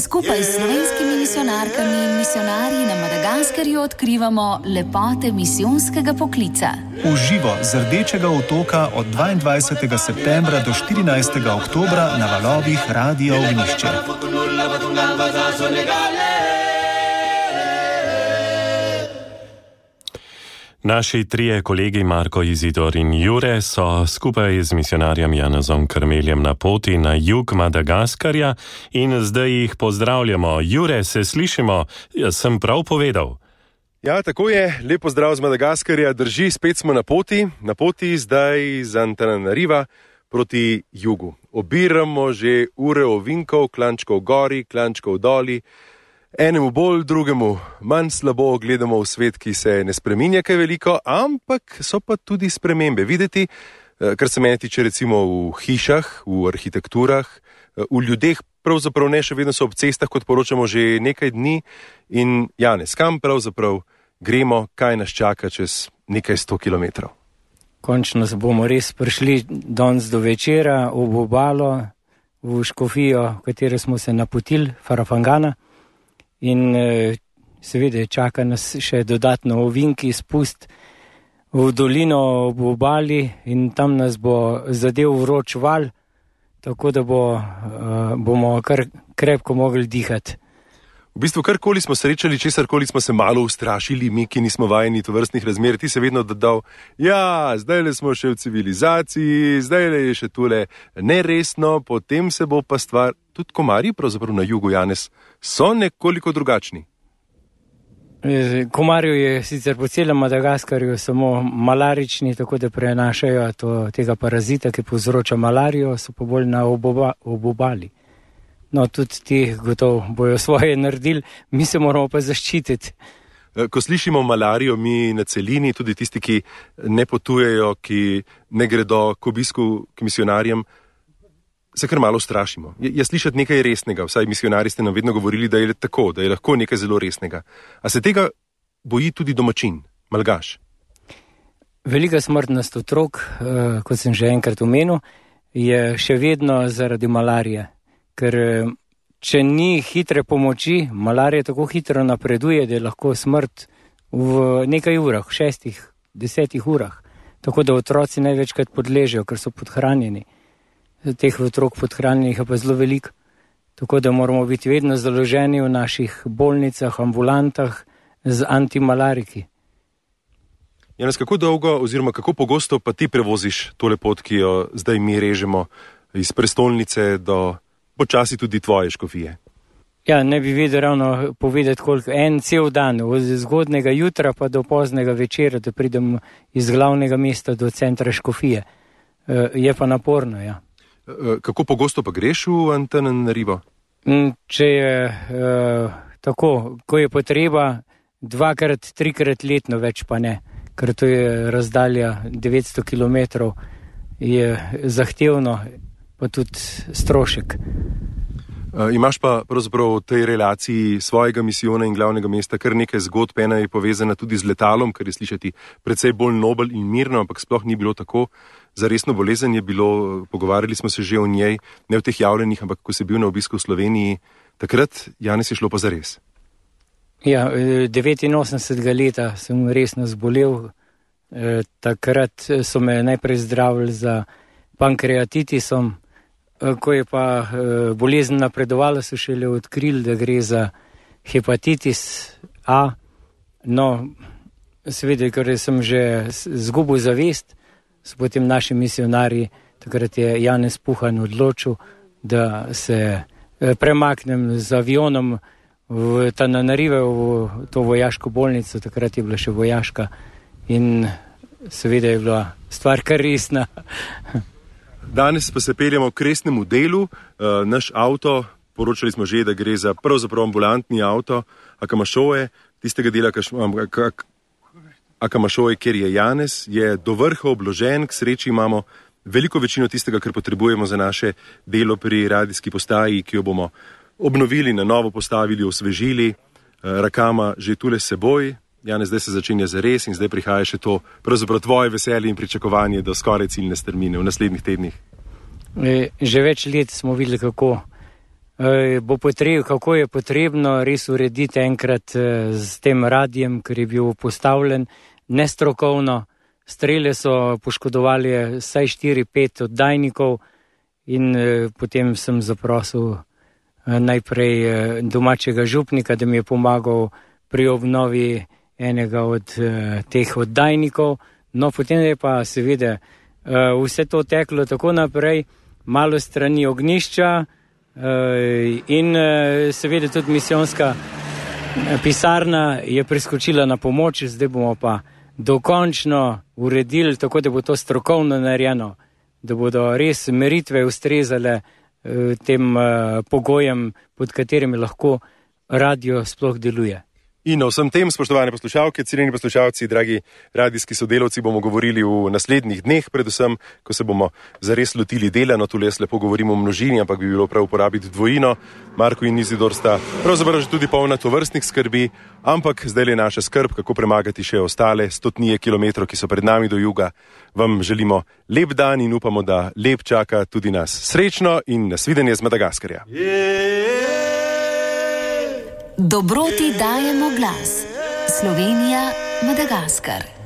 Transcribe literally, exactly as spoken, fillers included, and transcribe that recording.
Skupaj s slovenskimi misijonarkami in misijonarji na Madagaskarju odkrivamo lepote misijonskega poklica. V živo z Rdečega otoka od dvaindvajsetega septembra do štirinajstega oktobra na valovih Radio Ognjišče. Naši trije kolegi Marko, Izidor in Jure so skupaj z misijonarjem Janezom Krmeljem na poti na jug Madagaskarja in zdaj jih pozdravljamo. Jure, se slišimo? Jaz sem prav povedal. Ja, tako je. Lep pozdrav z Madagaskarja. Drži, spet smo na poti. Na poti zdaj z Antananariva proti jugu. Obiramo že ure ovinkov, klančkov gori, klančkov doli. Enemu bolj, drugemu manj slabo, gledamo v svet, ki se ne spreminja kaj veliko, ampak so pa tudi spremembe videti, kar se meni tiče recimo v hišah, v arhitekturah, v ljudeh, pravzaprav ne, še vedno so ob cestah, kot poročamo že nekaj dni. In Janez, kam pravzaprav gremo, kaj nas čaka čez nekaj sto kilometrov? Končno bomo res prišli danes do večera v obalo, v škofijo, v katero smo se napotili, Farafangana. In seveda čaka nas še dodatno ovinki, spust v dolino ob obali in tam nas bo zadev vroč val, tako da bo, bomo kar krepko mogli dihati. V bistvu karkoli smo srečali, česarkoli smo se malo ustrašili, mi, ki nismo vajeni tovrstnih razmer, ti se vedno dodal, ja, zdajle smo še v civilizaciji, zdajle je še tule neresno, potem se bo pa stvar, tudi komarji pravzaprav na jugu, Janez, so nekoliko drugačni. Komarju je sicer po celem Madagaskarju samo malarični, tako da prenašajo to, tega parazita, ki povzroča malarijo, so pa bolj na oboba, obobali. No, tudi ti gotovo bojo svoje naredili, mi se moramo pa zaščititi. Ko slišimo malarijo, mi na celini, tudi tisti, ki ne potujejo, ki ne gredo k obisku k misijonarjem, se kar malo strašimo. Je, je slišati nekaj resnega, vsaj misijonari ste nam vedno govorili, da je tako, da je lahko nekaj zelo resnega. A se tega boji tudi domačin, malgaš? Velika smrtnost otrok, kot sem že enkrat omenil, je še vedno zaradi malarije. Ker če ni hitre pomoči, malarija tako hitro napreduje, da je lahko smrt v nekaj urah, v šestih, desetih urah. Tako da otroci največkrat podležejo, ker so podhranjeni. Teh otrok podhranjenih je pa zelo veliko. Tako da moramo biti vedno založeni v naših bolnicah, ambulantah z antimalariki. Janez, kako dolgo oziroma kako pogosto pa ti prevoziš tole pot, ki jo zdaj mi režemo iz prestolnice do počasi tudi tvoje škofije? Ja, ne bi vedel ravno povedati, koliko. En cel dan, od zgodnega jutra pa do poznega večera, da pridem iz glavnega mesta do centra škofije. Je pa naporno, ja. Kako pogosto pa greš v Antananarivo? Če je uh, tako, ko je potreba, dvakrat, trikrat letno, več pa ne. Ker to je razdalja devetsto kilometrov, je zahtevno, pa tudi strošek. Uh, imaš pa pravzaprav v tej relaciji svojega misijona in glavnega mesta kar nekaj zgodb, ena je povezana tudi z letalom, kar je slišati precej bolj nobel in mirno, ampak sploh ni bilo tako. Za resno bolezen je bilo, pogovarjali smo se že o njej, ne v teh javljenih, ampak ko si bil na obisku v Sloveniji, takrat, Janez, je šlo pa zares. Ja, devetinosemdesetega leta sem resno zbolel, e, takrat so me najprej zdravili za pankreatitisom. Ko je pa bolezen napredovala, so šele odkrili, da gre za hepatitis A. No, seveda, ker sem že zgubil zavest, so potem naši misijonarji, takrat je Janez Puhan odločil, da se premaknem z avionom v Tananarive, v to vojaško bolnico, takrat je bila še vojaška in seveda je bila stvar kar resna. Danes pa se peljemo k resnemu delu. Uh, naš avto, poročali smo že, da gre za pravzaprav ambulantni avto Akamašoje, tistega dela Akamašoje, kjer je Janez, je do vrha obložen, k sreči imamo veliko večino tistega, kar potrebujemo za naše delo pri radijski postaji, ki jo bomo obnovili, na novo postavili, osvežili. Uh, Rakama že tule seboj. Janez, zdaj se začenja zares in zdaj prihaja še to pravzaprav tvoje veselje in pričakovanje do skoraj ciljne strmine v naslednjih tednih. Že več let smo videli, kako, bo potreb, kako je potrebno res urediti enkrat s tem radijem, ker je bil postavljen nestrokovno. Strele so poškodovali vsaj štiri pet oddajnikov in potem sem zaprosil najprej domačega župnika, da mi je pomagal pri obnovi enega od teh oddajnikov. No, potem je pa seveda vse to teklo tako naprej, malo strani ognjišča in seveda tudi misijonska pisarna je priskočila na pomoč, zdaj bomo pa dokončno uredili, tako da bo to strokovno narejeno, da bodo res meritve ustrezale tem pogojem, pod katerimi lahko radio sploh deluje. In o vsem tem, spoštovane poslušalke, cenjeni poslušalci, dragi radijski sodelavci, bomo govorili v naslednjih dneh, predvsem, ko se bomo zares lotili dela. No, tule jaz lepo govorim o množini, ampak bi bilo prav uporabiti dvojino. Marko in Izidor sta pravzaprav že tudi polna tovrstnih skrbi, ampak zdaj je naša skrb, kako premagati še ostale stotnije kilometrov, ki so pred nami do juga. Vam želimo lep dan in upamo, da lep čaka tudi nas. Srečno in nasvidenje z Madagaskarja. Dobroti dajemo glas. Slovenija, Madagaskar.